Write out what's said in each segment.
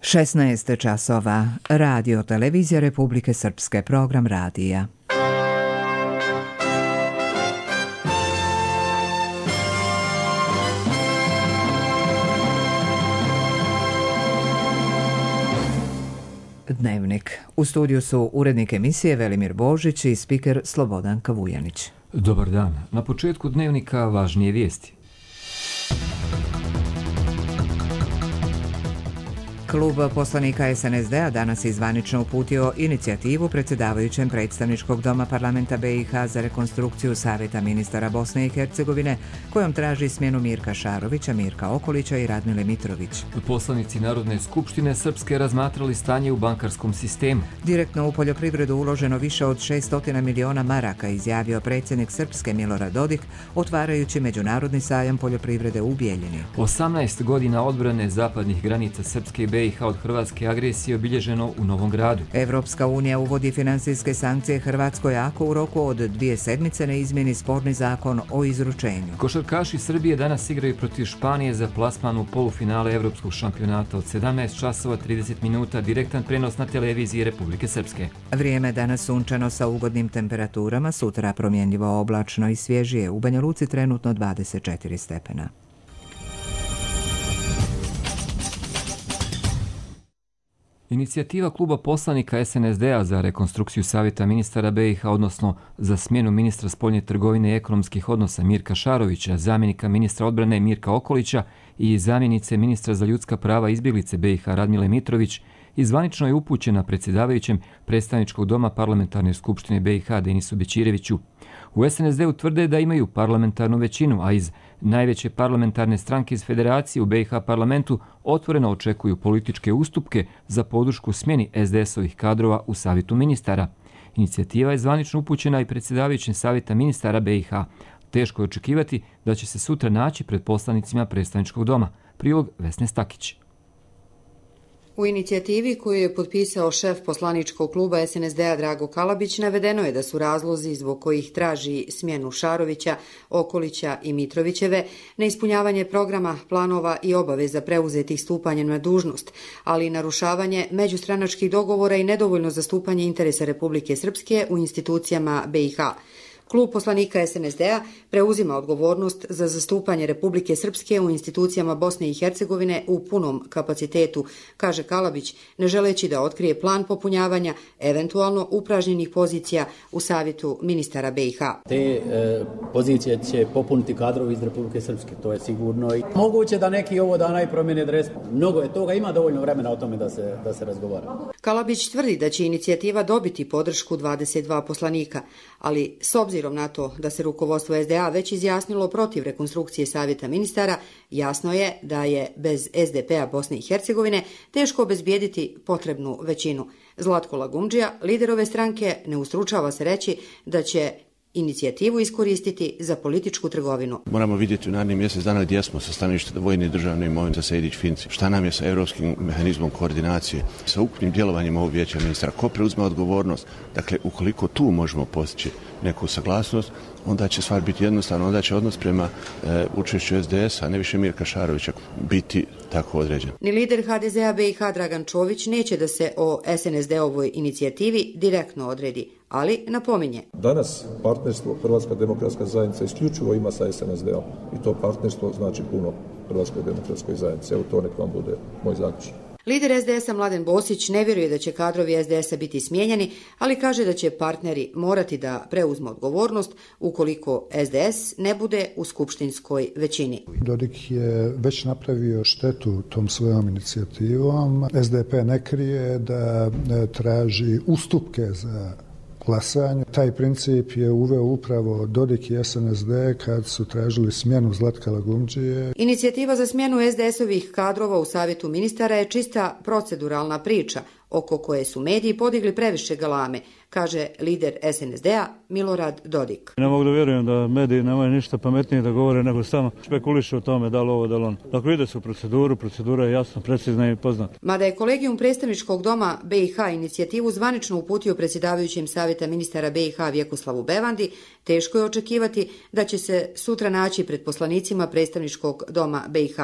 16 časova. Radio Televizija Republike Srpske, program radija. Dnevnik. U studiju su urednik emisije Velimir Božić i spiker Slobodan Kavujanić. Dobar dan. Na početku dnevnika važnije vijesti. Klub poslanika SNSD-a danas je zvanično uputio inicijativu predsjedavajućem predstavničkog doma parlamenta BiH za rekonstrukciju Savjeta ministara Bosne i Hercegovine, kojom traži smjenu Mirka Šarovića, Mirka Okolića i Radmile Mitrović. Poslanici Narodne skupštine Srpske razmatrali stanje u bankarskom sistemu. Direktno u poljoprivredu uloženo više od 600 miliona maraka, izjavio predsjednik Srpske Milorad Dodik, otvarajući međunarodni sajam poljoprivrede u Bijeljini. 18 godina odbrane zapadnih granica Srpske i BiH od hrvatske agresije obilježeno u Novom Gradu. Evropska unija uvodi financijske sankcije Hrvatskoj ako u roku od 2 sedmice ne izmjeni sporni zakon o izručenju. Košarkaši Srbije danas igraju protiv Španije za plasman u polufinale Evropskog šampionata od 17 časova 30 minuta, direktan prenos na televiziji Republike Srpske. Vrijeme danas sunčano sa ugodnim temperaturama, sutra promjenljivo oblačno i svježije. U Banja Luci trenutno 24 stepena. Inicijativa kluba poslanika SNSD-a za rekonstrukciju Savjeta ministara BiH, odnosno za smjenu ministra spoljne trgovine i ekonomskih odnosa Mirka Šarovića, zamjenika ministra odbrane Mirka Okolića i zamjenice ministra za ljudska prava i izbjeglice BiH Radmile Mitrović, zvanično je upućena predsjedavajućem predstavničkog doma parlamentarne skupštine BiH Denisu Bećireviću. U SNSD-u tvrde da imaju parlamentarnu većinu, a iz najveće parlamentarne stranke iz Federacije u BiH parlamentu otvoreno očekuju političke ustupke za podršku smjeni SDS-ovih kadrova u Savjetu ministara. Inicijativa je zvanično upućena i predsjedavajućem Savjeta ministara BiH. Teško je očekivati da će se sutra naći pred poslanicima predstavničkog doma. Prilog Vesne Stakić. U inicijativi koju je potpisao šef poslaničkog kluba SNSD-a Drago Kalabić navedeno je da su razlozi zbog kojih traži smjenu Šarovića, Okolića i Mitrovićeve neispunjavanje programa, planova i obaveza preuzetih stupanjem na dužnost, ali i narušavanje međustranačkih dogovora i nedovoljno zastupanje interesa Republike Srpske u institucijama BiH. Klub poslanika SNSD-a preuzima odgovornost za zastupanje Republike Srpske u institucijama Bosne i Hercegovine u punom kapacitetu, kaže Kalabić, ne želeći da otkrije plan popunjavanja eventualno upražnjenih pozicija u Savjetu ministara BiH. Te pozicije će popuniti kadrovi iz Republike Srpske, to je sigurno. Moguće da neki ovo dana i promjene dres. Mnogo je toga, ima dovoljno vremena o tome da se razgovara. Kalabić tvrdi da će inicijativa dobiti podršku 22 poslanika, ali s obzirom na to da se rukovodstvo SDA već izjasnilo protiv rekonstrukcije Savjeta ministara, jasno je da je bez SDP-a Bosne i Hercegovine teško obezbijediti potrebnu većinu. Zlatko Lagumdžija, lider ove stranke, ne ustručava se reći da će inicijativu iskoristiti za političku trgovinu. Moramo vidjeti u narednih mjesec dana gdje smo sa stanovišta vojne i državne imovine za Sejdić-Finci. Šta nam je sa europskim mehanizmom koordinacije, sa ukupnim djelovanjem ovog vijeća ministara, ko preuzme odgovornost. Dakle, ukoliko tu možemo postići neku saglasnost, onda će stvar biti jednostavna, onda će odnos prema učešću SDS-a, ne više Mirka Šarovića, biti tako određen. Ni lider HDZ-a BiH Dragan Čović neće da se o SNSD-ovoj inicijativi direktno odredi, ali napominje. Danas partnerstvo Hrvatska demokratska zajednica isključivo ima sa SNSD-om i to partnerstvo znači puno Hrvatskoj demokratskoj zajednici. Evo to nek vam bude moj zaključak. Lider SDS-a Mladen Bosić ne vjeruje da će kadrovi SDS-a biti smijenjeni, ali kaže da će partneri morati da preuzmu odgovornost ukoliko SDS ne bude u skupštinskoj većini. Dodik je već napravio štetu tom svojom inicijativom. SDP ne krije da traži ustupke za glasanje. Taj princip je uveo upravo Dodik i SNSD kad su tražili smjenu Zlatka Lagumdžije. Inicijativa za smjenu SDS-ovih kadrova u Savjetu ministara je čista proceduralna priča oko koje su mediji podigli previše galame, kaže lider SNSD-a Milorad Dodik. Ne mogu da vjerujem da mediji nemaju ništa pametnije da govore nego samo špekulišu o tome da li ovo, da li ono. Dakle, ide se u proceduru, procedura je jasna, precizna i poznata. Mada je Kolegijum predstavničkog doma BiH inicijativu zvanično uputio predsjedavajućem Savjeta ministara BiH Vjekoslavu Bevandi, teško je očekivati da će se sutra naći pred poslanicima predstavničkog doma BiH.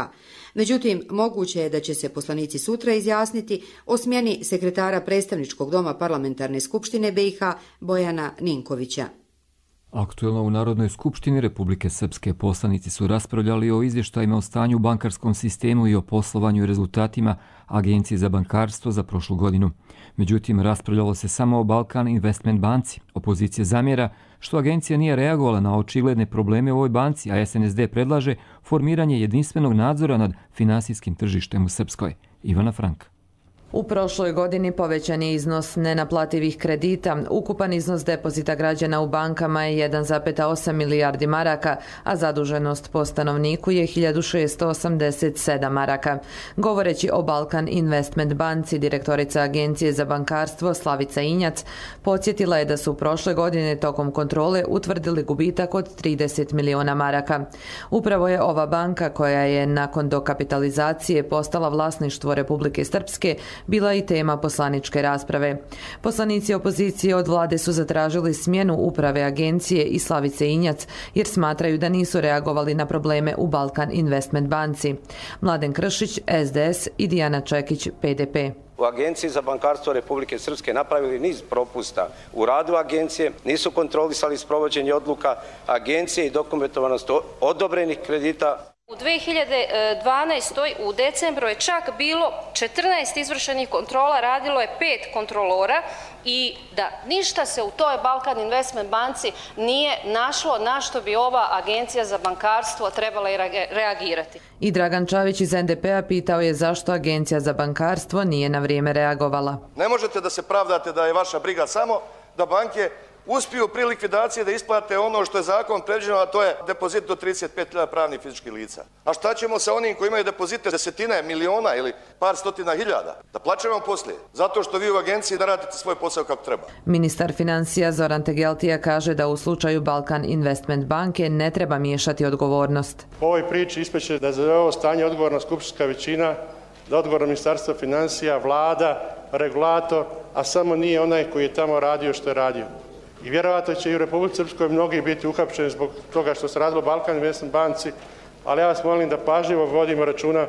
Međutim, moguće je da će se poslanici sutra izjasniti o smjeni sekretara predstavničkog doma Parlamentarne skupštine BiH Bojana Ninkovića. Aktuelno u Narodnoj skupštini Republike Srpske poslanici su raspravljali o izvještajima o stanju u bankarskom sistemu i o poslovanju i rezultatima Agencije za bankarstvo za prošlu godinu. Međutim, raspravljalo se samo o Balkan Investment banci. Opozicija zamjera što agencija nije reagovala na očigledne probleme u ovoj banci, a SNSD predlaže formiranje jedinstvenog nadzora nad finansijskim tržištem u Srpskoj. Ivana Franka. U prošloj godini povećan je iznos nenaplativih kredita. Ukupan iznos depozita građana u bankama je 1,8 milijardi maraka, a zaduženost po stanovniku je 1687 maraka. Govoreći o Balkan Investment banci, direktorica Agencije za bankarstvo Slavica Injac podsjetila je da su prošle godine tokom kontrole utvrdili gubitak od 30 miliona maraka. Upravo je ova banka, koja je nakon dokapitalizacije postala vlasništvo Republike Srpske, bila i tema poslaničke rasprave. Poslanici opozicije od vlade su zatražili smjenu uprave agencije i Slavice Injac jer smatraju da nisu reagovali na probleme u Balkan Investment banci. Mladen Kršić, SDS i Dijana Čekić, PDP. U Agenciji za bankarstvo Republike Srpske napravili niz propusta u radu agencije, nisu kontrolisali sprovođenje odluka agencije i dokumentovanost odobrenih kredita. U 2012. u decembru je čak bilo 14 izvršenih kontrola, radilo je 5 kontrolora i da ništa se u toj Balkan Investment banci nije našlo na što bi ova Agencija za bankarstvo trebala reagirati. I Dragan Čavić iz NDP-a pitao je zašto Agencija za bankarstvo nije na vrijeme reagovala. Ne možete da se pravdate da je vaša briga samo da banke uspiju pri likvidaciji da isplate ono što je zakon predviđeno, a to je depozit do 35.000 pravnih fizičkih lica. A šta ćemo sa onim koji imaju depozite desetine miliona ili par stotina hiljada? Da plaćamo poslije, zato što vi u agenciji da radite svoj posao kako treba. Ministar financija Zoran Tegeltija kaže da u slučaju Balkan Investment banke ne treba miješati odgovornost. U ovoj priči ispeće da za ovo stanje odgovorna skupštinska većina, da odgovorno ministarstvo financija, vlada, regulator, a samo nije onaj koji je tamo radio što je radio. I vjerovatno će i u Republici Srpskoj mnogi biti uhapšeni zbog toga što se radilo Balkan Investment banci, ali ja vas molim da pažljivo vodimo računa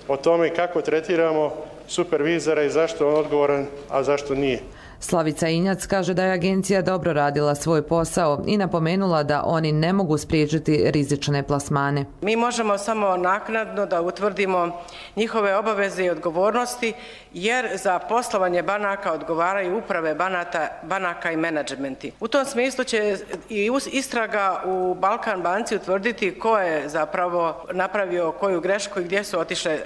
o tome kako tretiramo supervizora i zašto je on odgovoran, a zašto nije. Slavica Injac kaže da je agencija dobro radila svoj posao i napomenula da oni ne mogu spriječiti rizične plasmane. Mi možemo samo naknadno da utvrdimo njihove obaveze i odgovornosti, jer za poslovanje banaka odgovaraju uprave banaka i menadžmenti. U tom smislu će i istraga u Balkan banci utvrditi ko je zapravo napravio koju grešku i gdje su otišle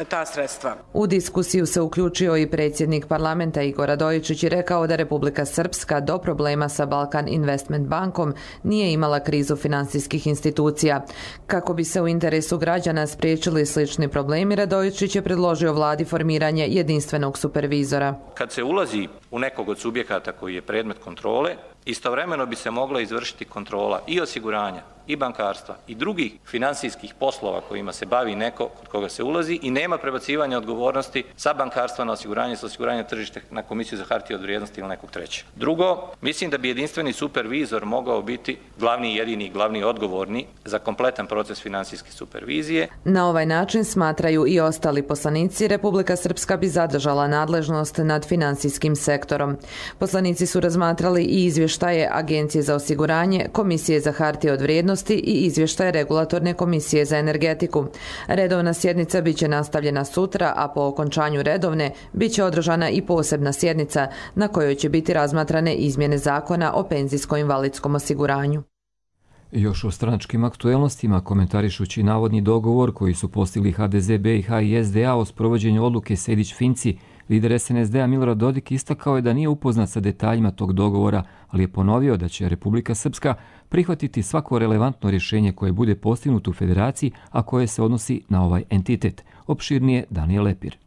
ta sredstva. U diskusiju se uključio i predsjednik parlamenta Igor Radojičić i rekao da Republika Srpska do problema sa Balkan Investment bankom nije imala krizu finansijskih institucija. Kako bi se u interesu građana spriječili slični problemi, Radojičić je predložio vladi formiranje jedinstvenog supervizora. Kad se ulazi u nekog od subjekata koji je predmet kontrole, istovremeno bi se mogla izvršiti kontrola i osiguranja, i bankarstva, i drugih finansijskih poslova kojima se bavi neko kod koga se ulazi i nema prebacivanja odgovornosti sa bankarstva na osiguranje, sa osiguranja tržišta na Komisiju za hartije od vrijednosti ili nekog trećeg. Drugo, mislim da bi jedinstveni supervizor mogao biti glavni, jedini, glavni odgovorni za kompletan proces finansijske supervizije. Na ovaj način, smatraju i ostali poslanici, Republika Srpska bi zadržala nadležnost nad finansijskim sektorom. Poslanici su razmatrali i izvještaje Agencije za osiguranje, Komisije za hartije od vrijednosti i izvještaje Regulatorne komisije za energetiku. Redovna sjednica biće nastavljena sutra, a po okončanju redovne biće održana i posebna sjednica na kojoj će biti razmatrane izmjene zakona o penzijsko-invalidskom osiguranju. Još o stranačkim aktuelnostima, komentarišući navodni dogovor koji su postigli HDZ, BiH i SDA o sprovođenju odluke Sejdić-Finci, lider SNSD-a Milorad Dodik istakao je da nije upoznat sa detaljima tog dogovora, ali je ponovio da će Republika Srpska prihvatiti svako relevantno rješenje koje bude postignuto u federaciji, a koje se odnosi na ovaj entitet. Opširnije Danijel Lepir.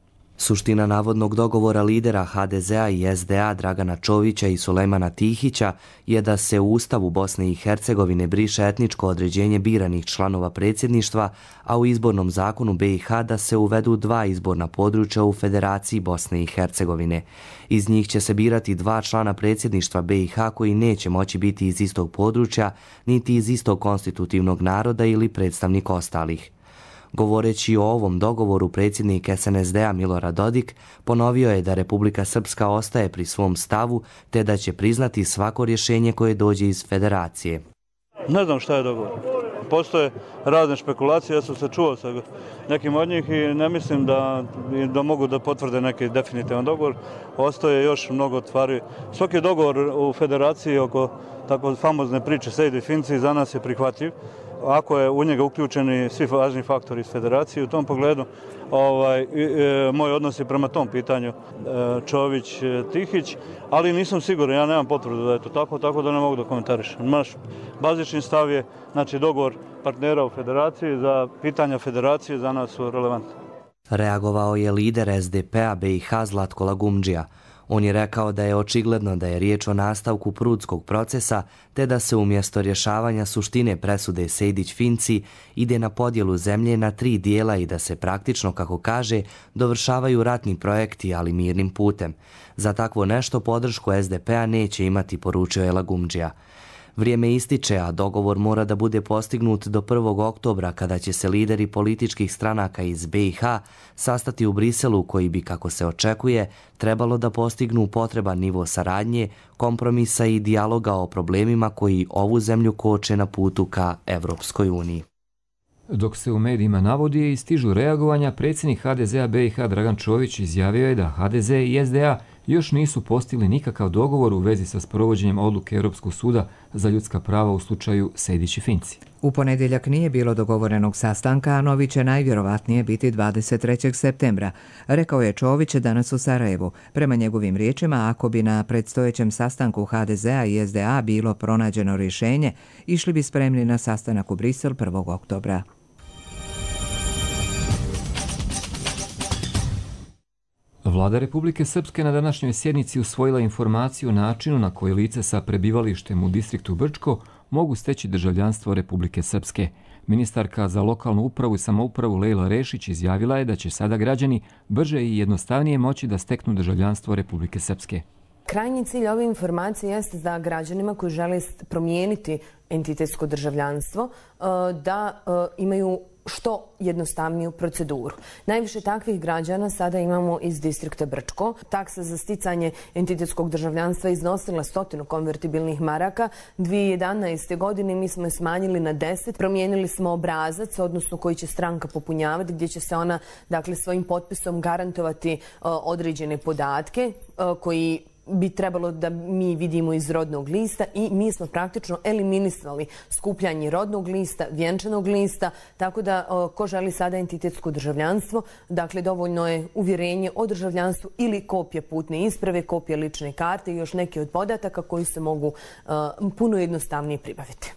Suština navodnog dogovora lidera HDZ-a i SDA Dragana Čovića i Sulejmana Tihića je da se u Ustavu Bosne i Hercegovine briše etničko određenje biranih članova predsjedništva, a u izbornom zakonu BiH da se uvedu 2 izborna područja u Federaciji Bosne i Hercegovine. Iz njih će se birati 2 člana predsjedništva BiH koji neće moći biti iz istog područja, niti iz istog konstitutivnog naroda ili predstavnik ostalih. Govoreći o ovom dogovoru, predsjednik SNSD-a Milorad Dodik ponovio je da Republika Srpska ostaje pri svom stavu te da će priznati svako rješenje koje dođe iz federacije. Ne znam šta je dogovor. Postoje razne špekulacije, ja sam se čuo sa nekim od njih i ne mislim da mogu da potvrde neki definitivan dogovor. Ostaje još mnogo stvari. Svaki dogovor u federaciji oko tako famozne priče Sejdi i Finci za nas je prihvatljiv. Ako je u njega uključeni svi važni faktori iz federacije, u tom pogledu moj odnos je prema tom pitanju Čović-Tihić, ali nisam siguran, ja nemam potvrdu da je to tako da ne mogu da komentarišem. Naš bazični stav je dogovor partnera u federaciji, za pitanja federacije za nas su relevantne. Reagovao je lider SDP-a BiH Zlatko Lagumdžija. On je rekao da je očigledno da je riječ o nastavku prudskog procesa, te da se umjesto rješavanja suštine presude Sejdić-Finci ide na podjelu zemlje na 3 dijela i da se praktično, kako kaže, dovršavaju ratni projekti, ali mirnim putem. Za takvo nešto podršku SDP-a neće imati, poručio je Lagumdžija. Vrijeme ističe, a dogovor mora da bude postignut do 1. oktobra kada će se lideri političkih stranaka iz BiH sastati u Briselu koji bi, kako se očekuje, trebalo da postignu potreban nivo saradnje, kompromisa i dijaloga o problemima koji ovu zemlju koče na putu ka Evropskoj uniji. Dok se u medijima navodi i stižu reagovanja, predsjednik HDZ-a BiH Dragan Čović izjavio je da HDZ i SDA još nisu postigli nikakav dogovor u vezi sa sprovođenjem odluke Europskog suda za ljudska prava u slučaju Sejdić i Finci. U ponedjeljak nije bilo dogovorenog sastanka, a novi će najvjerovatnije biti 23. septembra, rekao je Čović danas u Sarajevu. Prema njegovim riječima, ako bi na predstojećem sastanku HDZ-a i SDA bilo pronađeno rješenje, išli bi spremni na sastanak u Brisel 1. oktobra. Vlada Republike Srpske na današnjoj sjednici usvojila informaciju o načinu na koji lice sa prebivalištem u distriktu Brčko mogu steći državljanstvo Republike Srpske. Ministarka za lokalnu upravu i samoupravu Lejla Rešić izjavila je da će sada građani brže i jednostavnije moći da steknu državljanstvo Republike Srpske. Krajnji cilj ove informacije jeste da građanima koji žele promijeniti entitetsko državljanstvo da imaju što jednostavniju proceduru. Najviše takvih građana sada imamo iz distrikta Brčko. Taksa za sticanje entitetskog državljanstva iznosila 100 konvertibilnih maraka. 2011. godine mi smo je smanjili na 10. Promijenili smo obrazac, odnosno koji će stranka popunjavati, gdje će se ona svojim potpisom garantovati određene podatke koji bi trebalo da mi vidimo iz rodnog lista i mi smo praktično eliminisali skupljanje rodnog lista, vjenčanog lista, tako da ko želi sada entitetsko državljanstvo, dakle dovoljno je uvjerenje o državljanstvu ili kopija putne isprave, kopija lične karte i još neki od podataka koji se mogu puno jednostavnije pribaviti.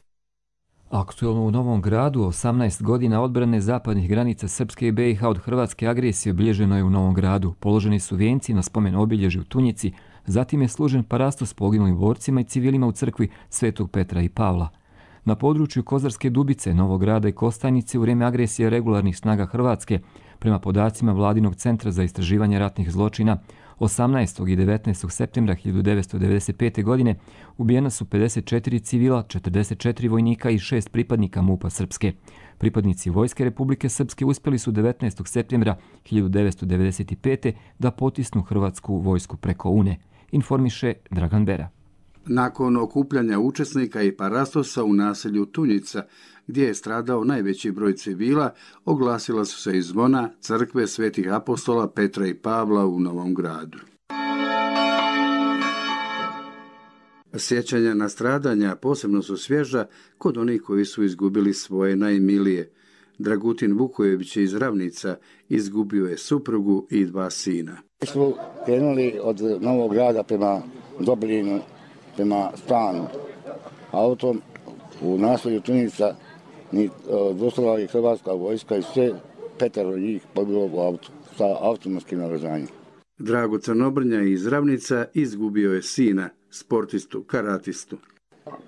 Aktualno u Novom Gradu, 18 godina odbrane zapadnih granica Srpske i BiH od hrvatske agresije obilježeno je u Novom Gradu. Položeni su vijenci na spomen obilježju u Tunjici, zatim je služen parastos poginulim borcima i civilima u crkvi Svetog Petra i Pavla. Na području Kozarske Dubice, Novog Grada i Kostajnice u vrijeme agresije regularnih snaga Hrvatske, prema podacima Vladinog centra za istraživanje ratnih zločina, 18. i 19. septembra 1995. godine ubijena su 54 civila, 44 vojnika i 6 pripadnika MUP-a Srpske. Pripadnici Vojske Republike Srpske uspjeli su 19. septembra 1995. da potisnu hrvatsku vojsku preko Une, informiše Dragan Bera. Nakon okupljanja učesnika i parastosa u naselju Tunjica, gdje je stradao najveći broj civila, oglasila su se i zvona crkve svetih apostola Petra i Pavla u Novom Gradu. Sjećanja na stradanja posebno su svježa kod onih koji su izgubili svoje najmilije. Dragutin Vukojević iz Ravnica izgubio je suprugu i 2 sina. Mi smo krenuli od Novog Grada prema Dobrinu, prema Stanu. Autom u naselju Tunica dostavila je hrvatska vojska i sve 5 njih pobilo u autu sa automatskim naoružanjem. Drago Crnobrnja iz Ravnica izgubio je sina, sportistu, karatistu.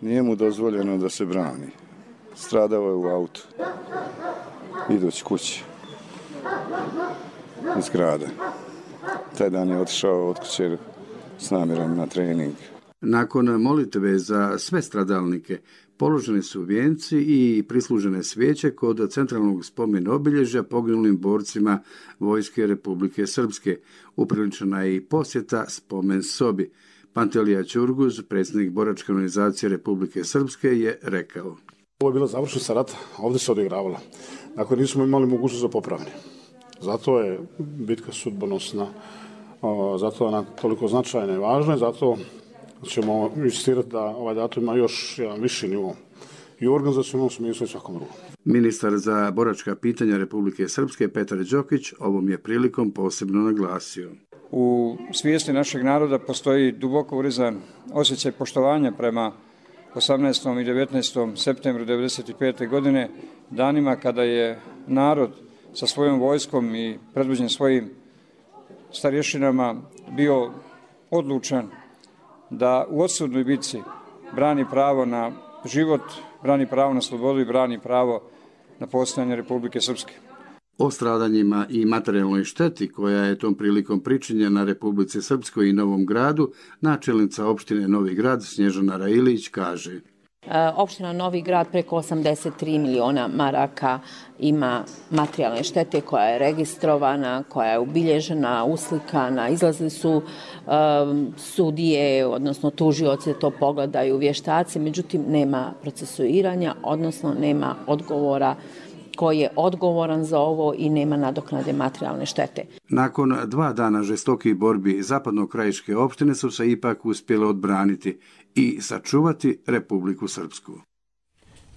Nije mu dozvoljeno da se brani. Stradao je u autu, idući kući iz grada. Taj dan je otišao od kuće s namjerom na trening. Nakon molitve za sve stradalnike položeni su vijenci i prislužene svijeće kod centralnog spomen obilježja poginulim borcima Vojske Republike Srpske. Upriličena je i posjeta spomen sobi. Pantelija Ćurguz, predsjednik boračke organizacije Republike Srpske, je rekao: Ovo je bilo završnica rata, ovdje se odigravalo. Dakle, nismo imali mogućnost za popravljanje. Zato je bitka sudbonosna, zato je ona toliko značajna i važna, zato ćemo insistirati da ovaj datum ima još jedan viši nivo i u organizacionalnom smislu i svakom drugom. Ministar za boračka pitanja Republike Srpske Petar Đokić ovom je prilikom posebno naglasio: U svijesti našeg naroda postoji duboko urezan osjećaj poštovanja prema 18. i 19. septembru 1995. godine, danima kada je narod sa svojom vojskom i predvođen svojim starješinama bio odlučan da u odsudnoj bitci brani pravo na život, brani pravo na slobodu i brani pravo na postojanje Republike Srpske. O stradanjima i materijalnoj šteti koja je tom prilikom pričinjena Republici Srpskoj i Novom Gradu, načelnica opštine Novi Grad Snježana Railić kaže: Opština Novi Grad preko 83 miliona maraka ima materijalne štete koja je registrovana, koja je ubilježena, uslikana, izlazili su sudije, odnosno tužioci da to pogledaju, vještaci, međutim nema procesuiranja, odnosno nema odgovora ko je odgovoran za ovo i nema nadoknade materijalne štete. Nakon 2 dana žestokih borbi zapadno-krajiške opštine su se ipak uspjele odbraniti i sačuvati Republiku Srpsku.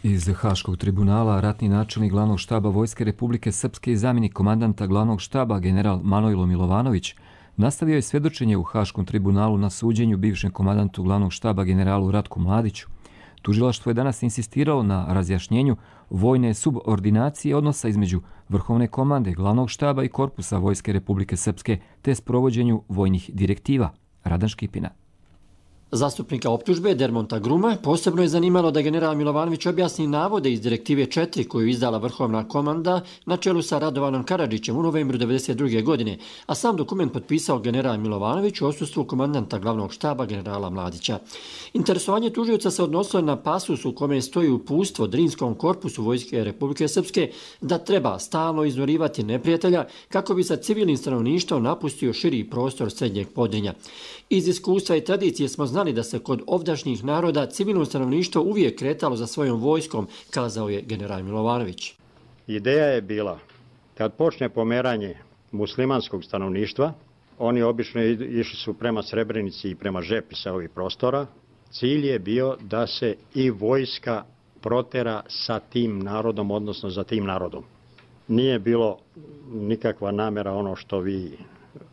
Iz Haškog tribunala ratni načelnik glavnog štaba Vojske Republike Srpske i zamjenik komandanta glavnog štaba general Manojlo Milovanović nastavio je svjedočenje u Haškom tribunalu na suđenju bivšem komandantu glavnog štaba generalu Ratku Mladiću. Tužilaštvo je danas insistiralo na razjašnjenju vojne subordinacije odnosa između Vrhovne komande, glavnog štaba i korpusa Vojske Republike Srpske te sprovođenju vojnih direktiva. Radan Škipina. Zastupnika optužbe Dermonta Gruma posebno je zanimalo da general Milovanović objasni navode iz direktive 4 koju izdala Vrhovna komanda na čelu sa Radovanom Karadžićem u novembru 1992. godine, a sam dokument potpisao general Milovanović u odsustvu komandanta glavnog štaba generala Mladića. Interesovanje tužioca se odnosilo na pasus u kome stoji uputstvo Drinskom korpusu Vojske Republike Srpske da treba stalno iznorivati neprijatelja kako bi sa civilnim stanovništvom napustio širi prostor srednjeg Podrinja. Iz iskustva i tradicije smo znali da se kod ovdašnjih naroda civilno stanovništvo uvijek kretalo za svojom vojskom, kazao je general Milovanović. Ideja je bila, kad počne pomeranje muslimanskog stanovništva, oni obično išli su prema Srebrenici i prema Žepi sa ovih prostora, cilj je bio da se i vojska protera sa tim narodom, odnosno za tim narodom. Nije bilo nikakva namjera ono što vi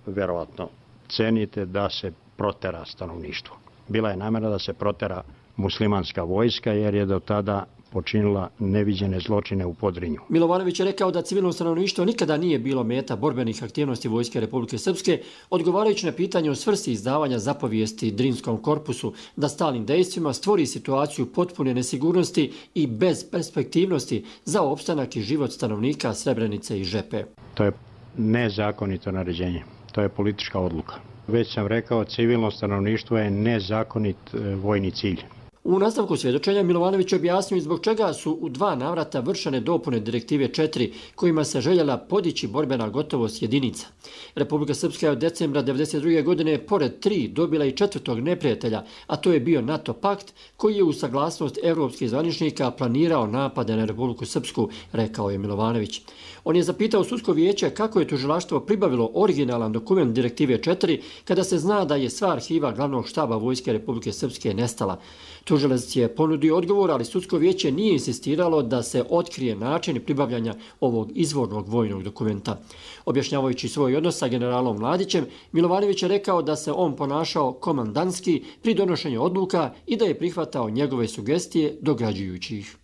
verovatno cenite da se protera stanovništvo. Bila je namjera da se protera muslimanska vojska jer je do tada počinila neviđene zločine u Podrinju. Milovanović je rekao da civilno stanovništvo nikada nije bilo meta borbenih aktivnosti Vojske Republike Srpske, odgovarajući na pitanje o svrsi izdavanja zapovijesti Drinskom korpusu da stalnim dejstvima stvori situaciju potpune nesigurnosti i bezperspektivnosti za opstanak i život stanovnika Srebrenice i Žepe. To je nezakonito naređenje. To je politička odluka. Već sam rekao, civilno stanovništvo je nezakonit vojni cilj. U nastavku svjedočenja Milovanović objasnio zbog čega su u 2 navrata vršene dopune direktive 4 kojima se željela podići borbena gotovost jedinica. Republika Srpska je od decembra 1992. godine pored 3 dobila i 4. neprijatelja, a to je bio NATO pakt koji je u saglasnost evropskih zvaničnika planirao napade na Republiku Srpsku, rekao je Milovanović. On je zapitao sudsko vijeće kako je tužilaštvo pribavilo originalan dokument direktive 4 kada se zna da je sva arhiva glavnog štaba Vojske Republike Srpske nestala. Tužilac je ponudio odgovor, ali sudsko vijeće nije insistiralo da se otkrije način pribavljanja ovog izvornog vojnog dokumenta. Objašnjavajući svoj odnos sa generalom Mladićem, Milovanović je rekao da se on ponašao komandantski pri donošenju odluka i da je prihvatao njegove sugestije dograđujući ih.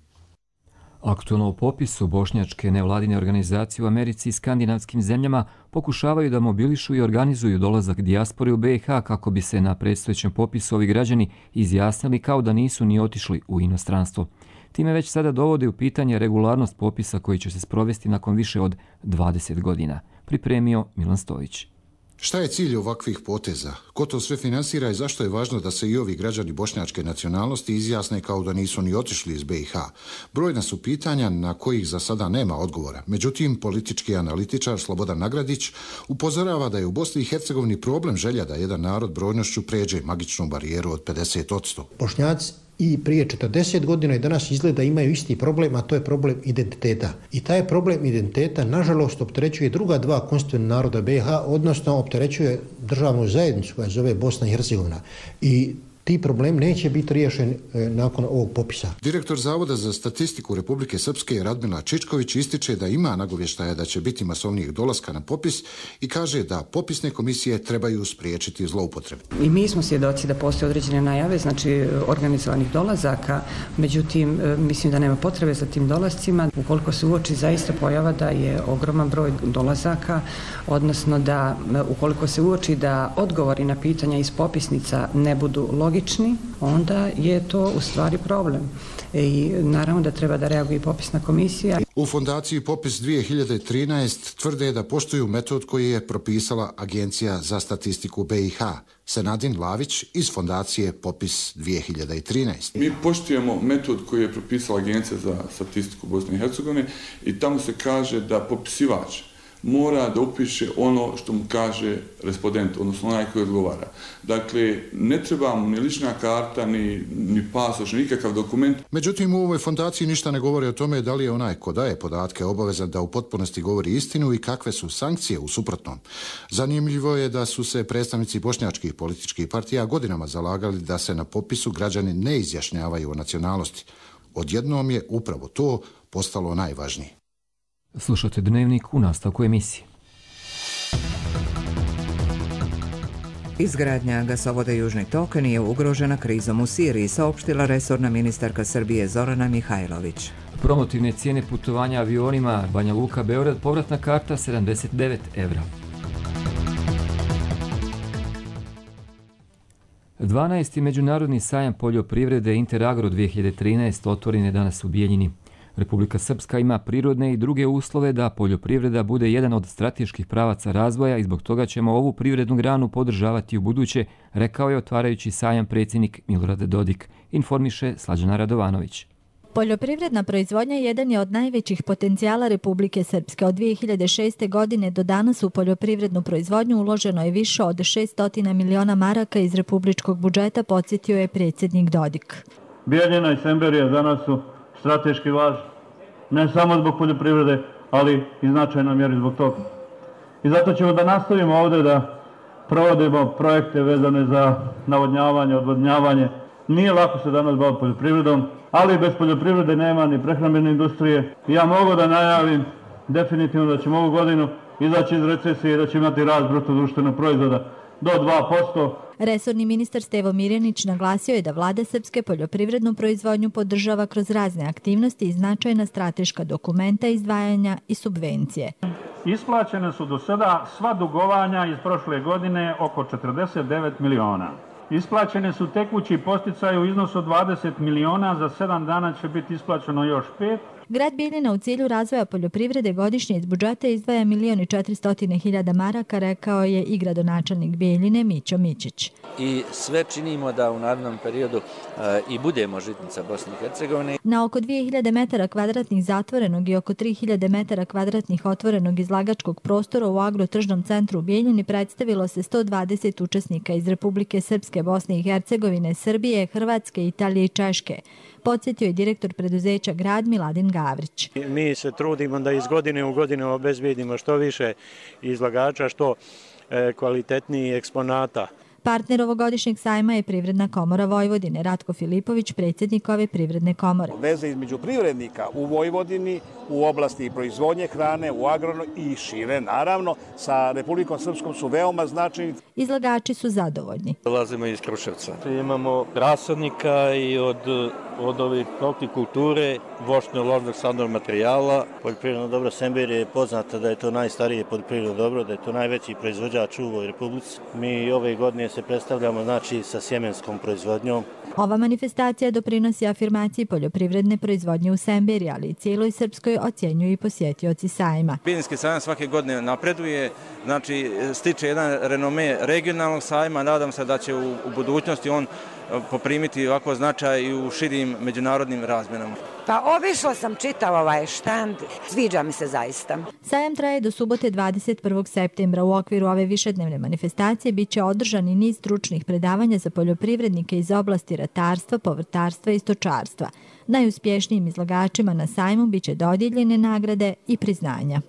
Aktualno u popisu bošnjačke nevladine organizacije u Americi i skandinavskim zemljama pokušavaju da mobilišu i organizuju dolazak dijaspore u BiH kako bi se na predstojećem popisu ovi građani izjasnili kao da nisu ni otišli u inostranstvo. Time već sada dovode u pitanje regularnost popisa koji će se sprovesti nakon više od 20 godina. Pripremio Milan Stojić. Šta je cilj ovakvih poteza? Ko to sve finansira i zašto je važno da se i ovi građani bošnjačke nacionalnosti izjasne kao da nisu ni otišli iz BiH? Brojna su pitanja na kojih za sada nema odgovora. Međutim, politički analitičar Slobodan Nagradić upozorava da je u Bosni i Hercegovini problem želja da jedan narod brojnošću pređe magičnu barijeru od 50%. Bošnjaci i prije 40 godina i danas izgleda imaju isti problem, a to je problem identiteta. I taj problem identiteta, nažalost, opterećuje druga dva konstitutivna naroda BiH, odnosno opterećuje državnu zajednicu koja zove Bosna i Hercegovina. I ti problem neće biti riješen nakon ovog popisa. Direktor Zavoda za statistiku Republike Srpske Radmila Čičković ističe da ima nagovještaja da će biti masovnijih dolaska na popis i kaže da popisne komisije trebaju spriječiti zloupotrebe. I mi smo svjedoci da postoje određene najave, znači organizovanih dolazaka, međutim mislim da nema potrebe za tim dolascima. Ukoliko se uoči zaista pojava da je ogroman broj dolazaka, odnosno da ukoliko se uoči da odgovori na pitanja iz popisnica ne budu logični, onda je to u stvari problem. I naravno da treba da reaguje i popisna komisija. U fondaciji Popis 2013 tvrde da poštuju metod koji je propisala Agencija za statistiku BiH. Senadin Lavić iz fondacije Popis 2013. Mi poštujemo metod koji je propisala Agencija za statistiku Bosne i Hercegovine i tamo se kaže da popisivač mora da upiše ono što mu kaže respondent, odnosno onaj koji odgovara. Dakle, ne treba mu ni lična karta, ni pasoš, ni nikakav dokument. Međutim, u ovoj fondaciji ništa ne govori o tome da li je onaj ko daje podatke obavezan da u potpunosti govori istinu i kakve su sankcije u suprotnom. Zanimljivo je da su se predstavnici bošnjačkih političkih partija godinama zalagali da se na popisu građani ne izjašnjavaju o nacionalnosti. Odjednom je upravo to postalo najvažnije. Slušate Dnevnik u nastavku emisije. Izgradnja gasovoda Južni tok nije ugrožena krizom u Siriji, saopštila resorna ministarka Srbije Zorana Mihajlović. Promotivne cijene putovanja avionima Banja Luka Beograd, povratna karta 79 evra. 12. međunarodni sajam poljoprivrede Interagro 2013 otvoren je danas u Bijeljini. Republika Srpska ima prirodne i druge uslove da poljoprivreda bude jedan od strateških pravaca razvoja i zbog toga ćemo ovu privrednu granu podržavati u buduće, rekao je otvarajući sajam predsjednik Milorad Dodik, informiše Slađana Radovanović. Poljoprivredna proizvodnja jedan je od najvećih potencijala Republike Srpske. Od 2006. godine do danas u poljoprivrednu proizvodnju uloženo je više od 600 miliona maraka iz republičkog budžeta, podsjetio je predsjednik Dodik. Bijeljina i Semberija danas su strateški važni, ne samo zbog poljoprivrede, ali i značajnoj mjeri zbog toga. I zato ćemo da nastavimo ovdje da provodimo projekte vezane za navodnjavanje, odvodnjavanje. Nije lako se danas baviti poljoprivredom, ali bez poljoprivrede nema ni prehrambene industrije. Ja mogu da najavim definitivno da ćemo ovu godinu izaći iz recesije i da će imati rast bruto društvenog proizvoda do 2%. Resorni ministar Stevo Mirjanić naglasio je da vlada Srpske poljoprivrednu proizvodnju podržava kroz razne aktivnosti i značajna strateška dokumenta, izdvajanja i subvencije. Isplaćene su do sada sva dugovanja iz prošle godine oko 49 miliona. Isplaćene su tekući posticaji u iznosu od 20 miliona, za 7 dana će biti isplaćeno još 5. Grad Bijeljina u cilju razvoja poljoprivrede godišnje iz budžeta izdvaja 1.400.000 maraka, rekao je i gradonačelnik Bijeljine Mićo Mićić. I sve činimo da u narednom periodu i budemo žitnica Bosne i Hercegovine. Na oko 2000 metara kvadratnih zatvorenog i oko 3000 metara kvadratnih otvorenog izlagačkog prostora u agrotržnom centru u Bijeljini predstavilo se 120 učesnika iz Republike Srpske, Bosne i Hercegovine, Srbije, Hrvatske, Italije i Češke. Podsjetio je direktor preduzeća Grad Miladin Gavrić. Mi se trudimo da iz godine u godinu obezbedimo što više izlagača, što kvalitetniji eksponata. Partner ovogodišnjeg sajma je Privredna komora Vojvodine. Ratko Filipović, predsjednik ove privredne komore. Veze između privrednika u Vojvodini, u oblasti proizvodnje hrane, u agronu i šire, naravno, sa Republikom Srpskom su veoma značajni. Izlagači su zadovoljni. Dolazimo iz Kruševca. Imamo rasadnika i od od ovih hortikulture, voćno-ložnog sadnog materijala. Poljoprivredno dobro Sember je poznata da je to najstarije poljoprivredno dobro, da je to najveći proizvođač u ovoj republici. Mi ove godine se predstavljamo sa sjemenskom proizvodnjom. Ova manifestacija doprinosi afirmaciji poljoprivredne proizvodnje u Semberi, ali i cijeloj Srpskoj, ocjenjuju i posjetioci sajma. Bijeljinski sajam svake godine napreduje, stiče jedan renome regionalnog sajma, nadam se da će u budućnosti on poprimiti ovako značaj i u širim međunarodnim razmjenama. Pa obišla sam čitav ovaj štand, sviđa mi se zaista. Sajam traje do subote 21. septembra. U okviru ove višednevne manifestacije biće održan i niz stručnih predavanja za poljoprivrednike iz oblasti ratarstva, povrtarstva i stočarstva. Najuspješnijim izlagačima na sajmu biće dodijeljene nagrade i priznanja.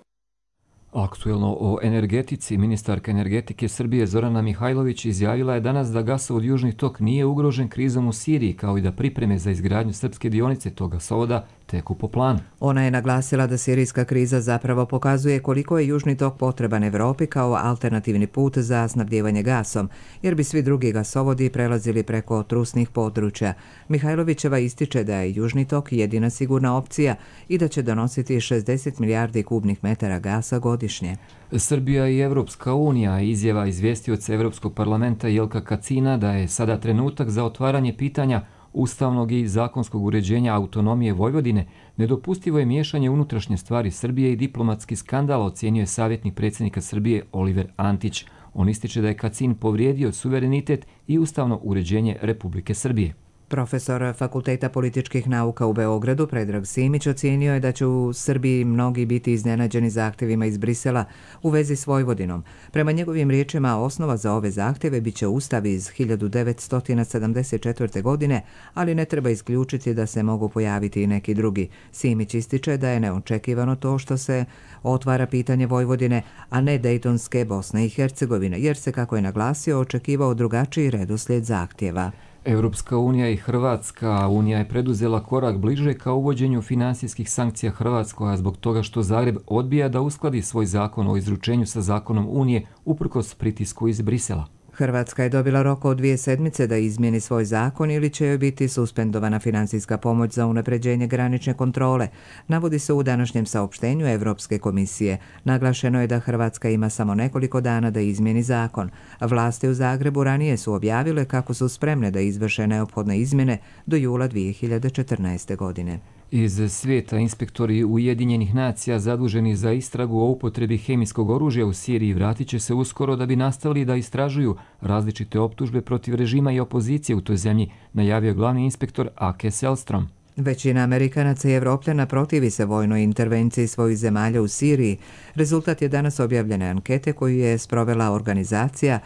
Aktuelno o energetici, ministarka energetike Srbije Zorana Mihajlović izjavila je danas da gasovod Južni tok nije ugrožen krizom u Siriji, kao i da pripreme za izgradnju srpske dionice tog gasovoda teku po planu. Ona je naglasila da sirijska kriza zapravo pokazuje koliko je Južni tok potreban Evropi kao alternativni put za snabdijevanje gasom, jer bi svi drugi gasovodi prelazili preko trusnih područja. Mihajlovićeva ističe da je Južni tok jedina sigurna opcija i da će donositi 60 milijardi kubnih metara gasa godišnje. Srbija i Evropska unija, izjava izvjestioca Evropskog parlamenta Jelka Kacina da je sada trenutak za otvaranje pitanja ustavnog i zakonskog uređenja autonomije Vojvodine, nedopustivo je miješanje unutrašnje stvari Srbije i diplomatski skandal, ocjenio je savjetnik predsjednika Srbije Oliver Antić. On ističe da je Kacin povrijedio suverenitet i ustavno uređenje Republike Srbije. Profesor Fakulteta političkih nauka u Beogradu Predrag Simić ocijenio je da će u Srbiji mnogi biti iznenađeni zahtjevima iz Brisela u vezi s Vojvodinom. Prema njegovim riječima, osnova za ove zahtjeve biće ustav iz 1974. godine, ali ne treba isključiti da se mogu pojaviti i neki drugi. Simić ističe da je neočekivano to što se otvara pitanje Vojvodine, a ne Dejtonske Bosne i Hercegovine, jer se, kako je naglasio, očekivao drugačiji redoslijed zahtjeva. Evropska unija i Hrvatska unija je preduzela korak bliže ka uvođenju finansijskih sankcija Hrvatskoj, a zbog toga što Zagreb odbija da uskladi svoj zakon o izručenju sa zakonom Unije uprkos pritisku iz Brisela. Hrvatska je dobila rok od 2 sedmice da izmijeni svoj zakon ili će joj biti suspendovana finansijska pomoć za unapređenje granične kontrole, navodi se u današnjem saopštenju Evropske komisije. Naglašeno je da Hrvatska ima samo nekoliko dana da izmijeni zakon. Vlasti u Zagrebu ranije su objavile kako su spremne da izvrše neophodne izmjene do jula 2014. godine. Iz svijeta inspektori Ujedinjenih nacija zaduženi za istragu o upotrebi hemijskog oružja u Siriji vratit će se uskoro da bi nastavili da istražuju različite optužbe protiv režima i opozicije u toj zemlji, najavio glavni inspektor Ake Selstrom. Većina Amerikanaca i Evropljana protivi se vojnoj intervenciji svojih zemalja u Siriji. Rezultat je danas objavljene ankete koju je sprovela organizacija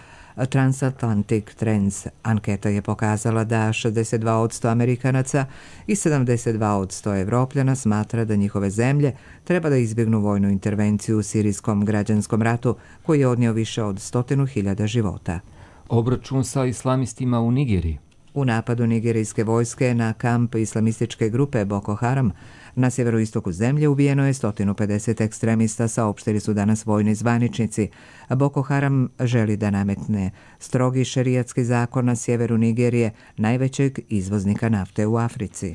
Transatlantic Trends. Anketa je pokazala da 62% Amerikanaca i 72% Evropljana smatra da njihove zemlje treba da izbjegnu vojnu intervenciju u sirijskom građanskom ratu koji je odnio više od 100.000 života. Obračun sa islamistima u Nigeriji. U napadu nigerijske vojske na kamp islamističke grupe Boko Haram na sjeveroistoku zemlje ubijeno je 150 ekstremista, saopštili su danas vojni zvaničnici. Boko Haram želi da nametne strogi šerijatski zakon na sjeveru Nigerije, najvećeg izvoznika nafte u Africi.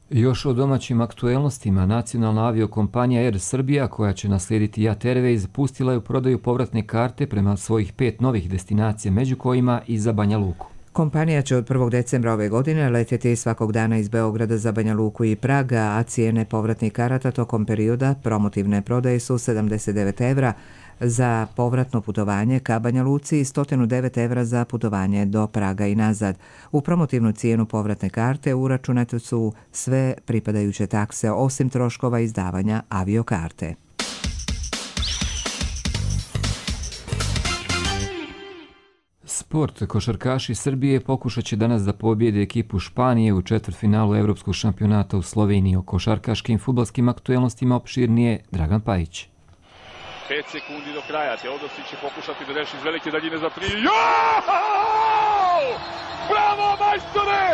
Još o domaćim aktuelnostima, nacionalna aviokompanija Air Srbija, koja će naslijediti Jat Airways, pustila je u prodaju povratne karte prema svojih 5 novih destinacija, među kojima i za Banja Luku. Kompanija će od 1. decembra ove godine letjeti svakog dana iz Beograda za Banja Luku i Praga, a cijene povratnih karata tokom perioda promotivne prodaje su 79 evra za povratno putovanje ka Banja Luci i 109 evra za putovanje do Praga i nazad. U promotivnu cijenu povratne karte uračunate su sve pripadajuće takse osim troškova izdavanja aviokarte. Sport. Košarkaši Srbije pokušat će danas da pobjede ekipu Španije u četvrtfinalu Evropskog šampionata u Sloveniji. O košarkaškim fudbalskim aktuelnostima opširnije Dragan Pajić. 5 sekundi do kraja. Teodosić će pokušati da reši iz velike daljine za 3. Bravo, majstore!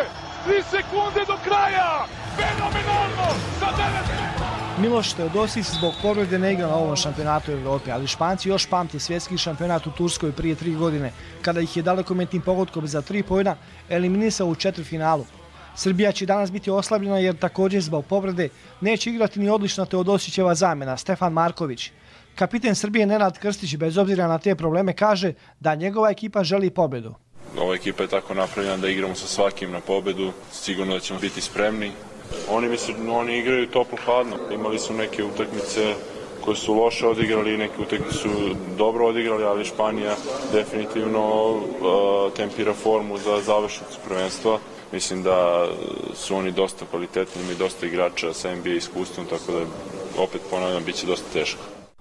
3 sekunde do kraja! Fenomenalno! Za 9! Miloš Teodosić zbog povrede ne igra na ovom šampionatu Evrope, ali Španci još pamte svjetski šampionat u Turskoj prije 3 godine, kada ih je dalekometnim pogodkom za 3 poena eliminisao u četvrtfinalu. Srbija će danas biti oslabljena jer također zbog povrede neće igrati ni odlična Teodosićeva zamjena Stefan Marković. Kapiten Srbije Nenad Krstić bez obzira na te probleme kaže da njegova ekipa želi pobjedu. Ova ekipa je tako napravljena da igramo sa svakim na pobjedu, sigurno da ćemo biti spremni. Oni igraju toplo-hladno, imali su neke utakmice koje su loše odigrali, neke utakmice su dobro odigrali, ali Španija definitivno tempira formu za završnicu prvenstva. Mislim da su oni dosta kvalitetni, imaju dosta igrača sa NBA iskustvom, tako da opet ponavljam, bit će dosta teško.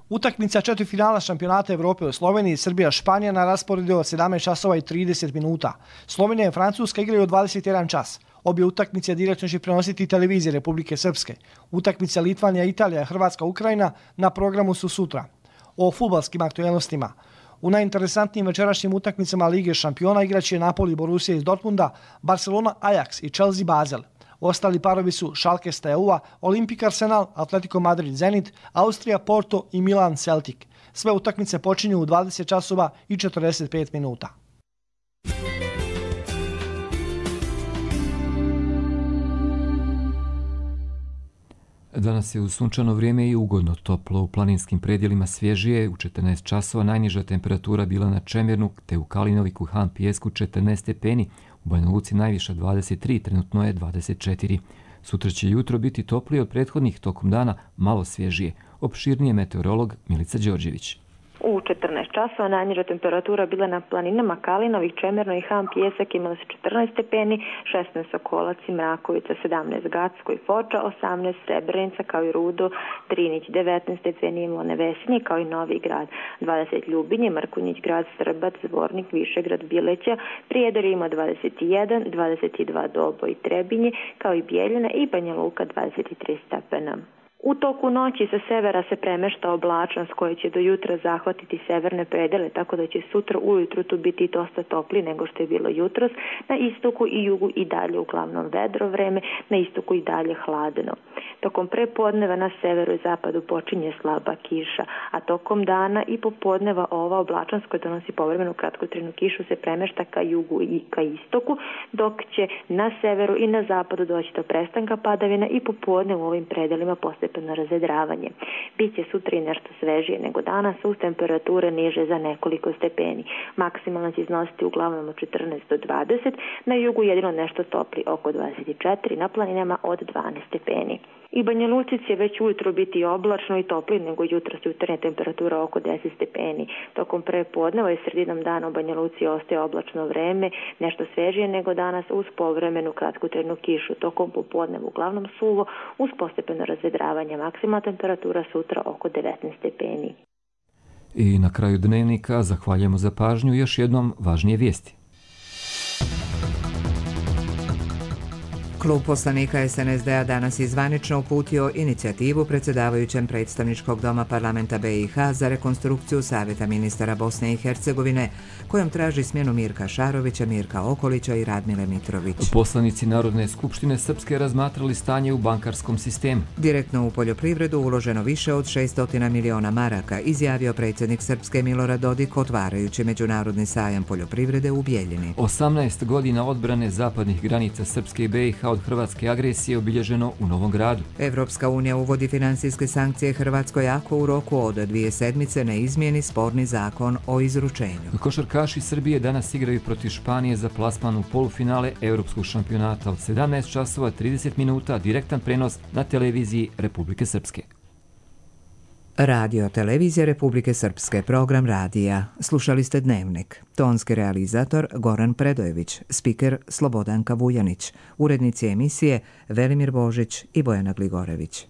Utakmica četvrtfinala šampionata Evrope u Sloveniji, Srbija-Španija na rasporedu od 17 časova i 30 minuta. Slovenija i Francuska igraju od 21 čas. Obje utakmice direktno će prenositi televizije Republike Srpske. Utakmica Litvanija, Italija, Hrvatska, Ukrajina na programu su sutra. O fudbalskim aktualnostima. U najinteresantnijim večerašnjim utakmicama Lige šampiona igraće Napoli Borussia iz Dortmunda, Barcelona Ajax i Chelsea Basel. Ostali parovi su Schalke Steaua, Olimpik Arsenal, Atletico Madrid Zenit, Austrija Porto i Milan Celtic. Sve utakmice počinju u 20 časova i 45 minuta. Danas je uz sunčano vrijeme i ugodno toplo. U planinskim predjelima svježije u 14 časova, najniža temperatura bila na Čemernu te u Kalinoviku Han Pijesku 14 stepeni, u Banja Luci najviša 23, trenutno je 24. Sutra će jutro biti toplije od prethodnih, tokom dana malo svježije. Opširnije meteorolog Milica Đorđević. U 14 časova najniža temperatura bila na planinama Kalinovik, Čemerno i Han Pijesak imala se 14 stepeni, 16 Sokolac i Mrakovica, 17 Gacko i Foča, 18 Srebrenica kao i Rudo, Trinić 19 stepeni imalo Nevesinje kao i Novi Grad, 20 Ljubinje, Mrkonjić grad, Srbac, Zvornik, Višegrad, Bileća, Prijedor ima 21, 22 Doboj i Trebinje kao i Bijeljina i Banja Luka 23 stepena. U toku noći sa severa se premešta oblačnost koja će do jutra zahvatiti severne predele, tako da će sutra ujutru tu biti dosta topli nego što je bilo jutros. Na istoku i jugu i dalje uglavnom vedro vreme, na istoku i dalje hladno. Tokom prepodneva na severu i zapadu počinje slaba kiša, a tokom dana i popodneva ova oblačnost koja donosi povremenu kratkotrajnu kišu se premešta ka jugu i ka istoku, dok će na severu i na zapadu doći do prestanka padavina i popodne u ovim predelima postepeno razvedravanje. Biće sutra i nešto svežije nego danas, uz temperature niže za nekoliko stepeni. Maksimalno će iznositi uglavnom od 14 do 20, na jugu jedino nešto topli oko 24, na planinama od 12 stepeni. I Banja Luci će već ujutro biti oblačno i topli nego jutros, jutarnja temperatura oko 10 stepeni. Tokom prepodneva i sredinom dana u Banja Luci ostaje oblačno vreme, nešto svežije nego danas uz povremenu kratkotrajnu kišu. Tokom popodneva uglavnom suvo uz postepeno razvedravanje. Maksimalna temperatura sutra oko 19 stepeni. I na kraju dnevnika zahvaljujemo za pažnju, još jednom važnije vijesti. Klub poslanika SNSD-a danas je zvanično uputio inicijativu predsjedavajućem predstavničkog doma parlamenta BiH za rekonstrukciju Savjeta ministara Bosne i Hercegovine, kojom traži smjenu Mirka Šarovića, Mirka Okolića i Radmile Mitrović. Poslanici Narodne skupštine Srpske razmatrali stanje u bankarskom sistemu. Direktno u poljoprivredu uloženo više od 600 miliona maraka, izjavio predsjednik Srpske Milorad Dodik otvarajući Međunarodni sajam poljoprivrede u Bijeljini. 18 godina odbrane zapadnih granica Srpske i BiH od hrvatske agresije obilježeno u Novom Gradu. Evropska unija uvodi finansijske sankcije Hrvatskoj ako u roku od 2 sedmice ne izmijeni sporni zakon o izručenju. Košarkaši Srbije danas igraju protiv Španije za plasman u polufinale Europskog šampionata od 17 časova 30 minuta, direktan prenos na televiziji Republike Srpske. Radio televizija Republike Srpske, program radija. Slušali ste Dnevnik. Tonski realizator Goran Predojević, spiker Slobodanka Vujanić, urednici emisije Velimir Božić i Bojana Gligorević.